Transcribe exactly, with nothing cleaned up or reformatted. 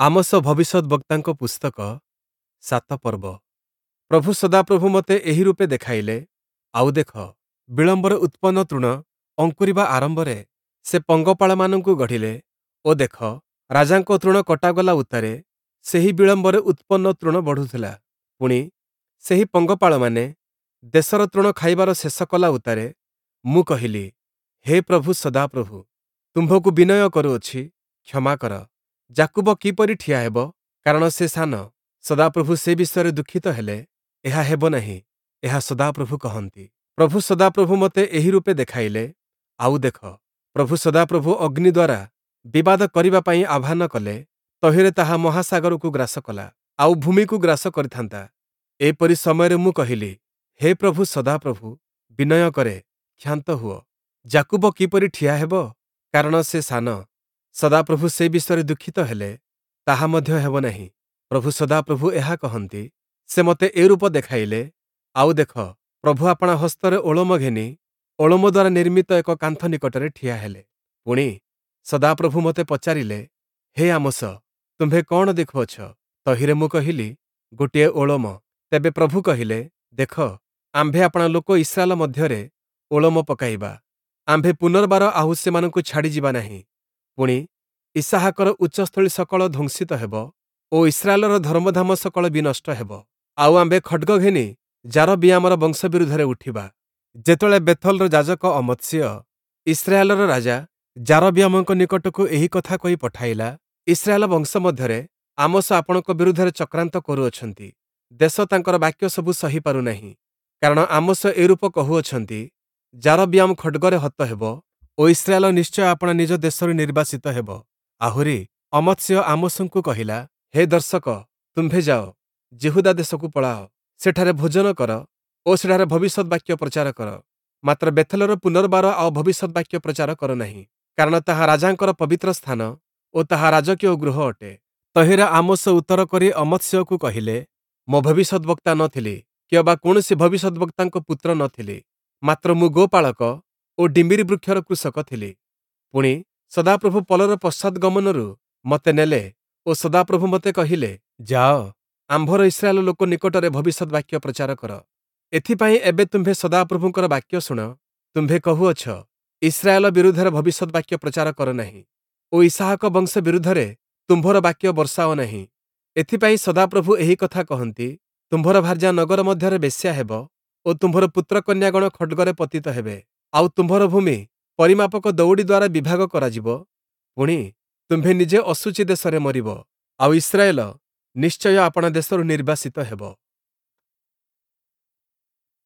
Amos ଭବିଷ୍ୟଦ୍‌ବକ୍ତାଙ୍କ ପୁସ୍ତକ ସାତ ପର୍ବ। ପ୍ରଭୁ ସଦାପ୍ରଭୁ ମୋତେ ଏହି ରୂପେ ଦେଖାଇଲେ, ଆଉ ଦେଖ, ବିଳମ୍ବରେ ଉତ୍ପନ୍ନ ତୃଣ ଅଙ୍କୁରିବା ଆରମ୍ଭରେ ସେ ପଙ୍ଗପାଳମାନଙ୍କୁ ଗଢ଼ିଲେ ଓ ଦେଖ, ରାଜାଙ୍କ ତୃଣ କଟାଗଲା ଉତ୍ତାରେ ସେହି ବିଳମ୍ବରେ ଉତ୍ପନ୍ନ ତୃଣ ବଢ଼ୁଥିଲା। ପୁଣି, ସେହି ପଙ୍ଗପାଳମାନେ ଦେଶର ତୃଣ ଖାଇବାର ଶେଷ କଲା ଉତ୍ତାରେ ମୁଁ କହିଲି, ହେ ପ୍ରଭୁ ସଦାପ୍ରଭୁ, ତୁମ୍ଭକୁ ବିନୟ କରୁଅଛି, କ୍ଷମା କର। ଯାକୁବ କିପରି ଠିଆ ହେବ? କାରଣ ସେ ସାନ। ସଦାପ୍ରଭୁ ସେ ବିଷୟରେ ଦୁଃଖିତ ହେଲେ, ଏହା ହେବ ନାହିଁ, ଏହା ସଦାପ୍ରଭୁ କହନ୍ତି। ପ୍ରଭୁ ସଦାପ୍ରଭୁ ମୋତେ ଏହି ରୂପେ ଦେଖାଇଲେ, ଆଉ ଦେଖ, ପ୍ରଭୁ ସଦାପ୍ରଭୁ ଅଗ୍ନି ଦ୍ୱାରା ବିବାଦ କରିବା ପାଇଁ ଆହ୍ୱାନ କଲେ, ତହିଁରେ ତାହା ମହାସାଗରକୁ ଗ୍ରାସ କଲା, ଆଉ ଭୂମିକୁ ଗ୍ରାସ କରିଥାନ୍ତା। ଏପରି ସମୟରେ ମୁଁ କହିଲି, ହେ ପ୍ରଭୁ ସଦାପ୍ରଭୁ, ବିନୟ କରେ, କ୍ଷାନ୍ତ ହୁଅ। ଯାକୁବ କିପରି ଠିଆ ହେବ? କାରଣ ସେ ସାନ। ସଦାପ୍ରଭୁ ସେ ବିଷୟରେ ଦୁଃଖିତ ହେଲେ, ତାହା ମଧ୍ୟ ହେବ ନାହିଁ। ପ୍ରଭୁ ସଦାପ୍ରଭୁ ଏହା କହନ୍ତି, ସେ ମୋତେ ଏରୂପ ଦେଖାଇଲେ, ଆଉ ଦେଖ, ପ୍ରଭୁ ଆପଣା ହସ୍ତରେ ଓଳମ ଘେନି ଓଳମ ଦ୍ୱାରା ନିର୍ମିତ ଏକ କାନ୍ଥ ନିକଟରେ ଠିଆ ହେଲେ। ପୁଣି, ସଦାପ୍ରଭୁ ମୋତେ ପଚାରିଲେ, ହେ ଆମୋସ, ତୁମ୍ଭେ କଅଣ ଦେଖୁଅଛ? ତହିଁରେ ମୁଁ କହିଲି, ଗୋଟିଏ ଓଳମ। ତେବେ ପ୍ରଭୁ କହିଲେ, ଦେଖ, ଆମ୍ଭେ ଆପଣା ଲୋକ ଇସ୍ରାଏଲ ମଧ୍ୟରେ ଓଳମ ପକାଇବା। ଆମ୍ଭେ ପୁନର୍ବାର ଆଉ ସେମାନଙ୍କୁ ଛାଡ଼ିଯିବା ନାହିଁ। ପୁଣି, ଇସ୍ହାକର ଉଚ୍ଚସ୍ଥଳୀ ସକଳ ଧ୍ୱଂସିତ ହେବ ଓ ଇସ୍ରାଏଲର ଧର୍ମଧାମ ସକଳ ବିନଷ୍ଟ ହେବ। ଆଉ ଆମ୍ଭେ ଖଡ଼୍ଗ ଘେନି ଯାରବିୟାମର ବଂଶ ବିରୁଦ୍ଧରେ ଉଠିବା। ଯେତେବେଳେ ବେଥଲର ଯାଜକ ଅମତ୍ସିୟ ଇସ୍ରାଏଲର ରାଜା ଯାରବିୟାମଙ୍କ ନିକଟକୁ ଏହି କଥା କହି ପଠାଇଲା, ଇସ୍ରାଏଲ ବଂଶ ମଧ୍ୟରେ ଆମୋସ ଆପଣଙ୍କ ବିରୁଦ୍ଧରେ ଚକ୍ରାନ୍ତ କରୁଅଛନ୍ତି। ଦେଶ ତାଙ୍କର ବାକ୍ୟ ସବୁ ସହିପାରୁ ନାହିଁ। କାରଣ ଆମୋସ ଏରୂପ କହୁଅଛନ୍ତି, ଯାରବିୟାମ ଖଡ଼୍ଗରେ ହତ ହେବ ଓ ଇସ୍ରାଏଲ ନିଶ୍ଚୟ ଆପଣା ନିଜ ଦେଶରୁ ନିର୍ବାସିତ ହେବ। ଆହୁରି ଅମତ୍ସିୟ ଆମୋସଙ୍କୁ କହିଲା, ହେ ଦର୍ଶକ, ତୁମ୍ଭେ ଯାଅ, ଯିହୁଦା ଦେଶକୁ ପଳାଅ, ସେଠାରେ ଭୋଜନ କର ଓ ସେଠାରେ ଭବିଷ୍ୟଦ୍‌ବାକ୍ୟ ପ୍ରଚାର କର। ମାତ୍ର ବେଥଲର ପୁନର୍ବାର ଆଉ ଭବିଷ୍ୟଦ୍‌ବାକ୍ୟ ପ୍ରଚାର କର ନାହିଁ, କାରଣ ତାହା ରାଜାଙ୍କର ପବିତ୍ର ସ୍ଥାନ ଓ ତାହା ରାଜକୀୟ ଗୃହ ଅଟେ। ତହିଁରେ ଆମୋସ ଉତ୍ତର କରି ଅମତ୍ସିୟକୁ କହିଲେ, ମୁଁ ଭବିଷ୍ୟଦ୍‌ବକ୍ତା ନ ଥିଲି, କିଅବା କୌଣସି ଭବିଷ୍ୟଦ୍‌ବକ୍ତାଙ୍କ ପୁତ୍ର ନ ଥିଲି, ମାତ୍ର ମୁଁ ଗୋପାଳକ ଓ ଡିମ୍ବିରି ବୃକ୍ଷର କୃଷକ ଥିଲି। ପୁଣି, ସଦାପ୍ରଭୁ ପଲର ପଶ୍ଚାଦ୍‌ଗମନରୁ ମୋତେ ନେଲେ ଓ ସଦାପ୍ରଭୁ ମୋତେ କହିଲେ, ଯାଅ, ଆମ୍ଭର ଇସ୍ରାଏଲ ଲୋକ ନିକଟରେ ଭବିଷ୍ୟଦ୍‌ବାକ୍ୟ ପ୍ରଚାର କର। ଏଥିପାଇଁ ଏବେ ତୁମ୍ଭେ ସଦାପ୍ରଭୁଙ୍କର ବାକ୍ୟ ଶୁଣ। ତୁମ୍ଭେ କହୁଅଛ, ଇସ୍ରାଏଲ ବିରୁଦ୍ଧରେ ଭବିଷ୍ୟଦ୍‌ବାକ୍ୟ ପ୍ରଚାର କର ନାହିଁ ଓ ଇସ୍ହାକ ବଂଶ ବିରୁଦ୍ଧରେ ତୁମ୍ଭର ବାକ୍ୟ ବର୍ଷାଅ ନାହିଁ। ଏଥିପାଇଁ ସଦାପ୍ରଭୁ ଏହି କଥା କହନ୍ତି, ତୁମ୍ଭର ଭାର୍ଯ୍ୟା ନଗର ମଧ୍ୟରେ ବେଶ୍ୟା ହେବ ଓ ତୁମ୍ଭର ପୁତ୍ରକନ୍ୟାଗଣ ଖଡ଼୍ଗରେ ପତିତ ହେବେ। ଆଉ ତୁମ୍ଭର ଭୂମି ପରିମାପକ ଦଉଡ଼ି ଦ୍ୱାରା ବିଭାଗ କରାଯିବ। ପୁଣି, ତୁମ୍ଭେ ନିଜେ ଅଶୁଚି ଦେଶରେ ମରିବ, ଆଉ ଇସ୍ରାଏଲ ନିଶ୍ଚୟ ଆପଣା ଦେଶରୁ ନିର୍ବାସିତ ହେବ।